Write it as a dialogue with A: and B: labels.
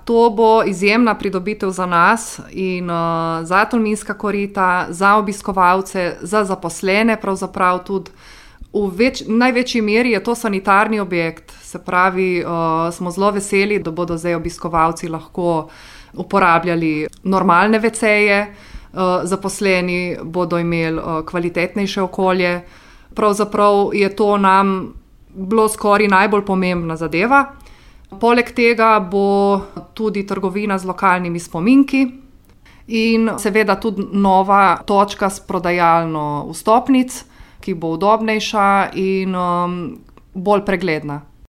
A: To bo izjemna pridobitev za nas in za Tolminska korita, za obiskovalce, za zaposlene pravzaprav tudi. V največji meri je to sanitarni objekt, se pravi, smo zelo veseli, da bodo zdaj obiskovalci lahko uporabljali normalne veceje, zaposleni bodo imeli kvalitetnejše okolje. Pravzaprav je to nam bilo skoraj najbolj pomembna zadeva. Poleg tega bo tudi trgovina z lokalnimi spominki in seveda tudi nova točka s prodajalno vstopnic, ki bo udobnejša in bolj pregledna.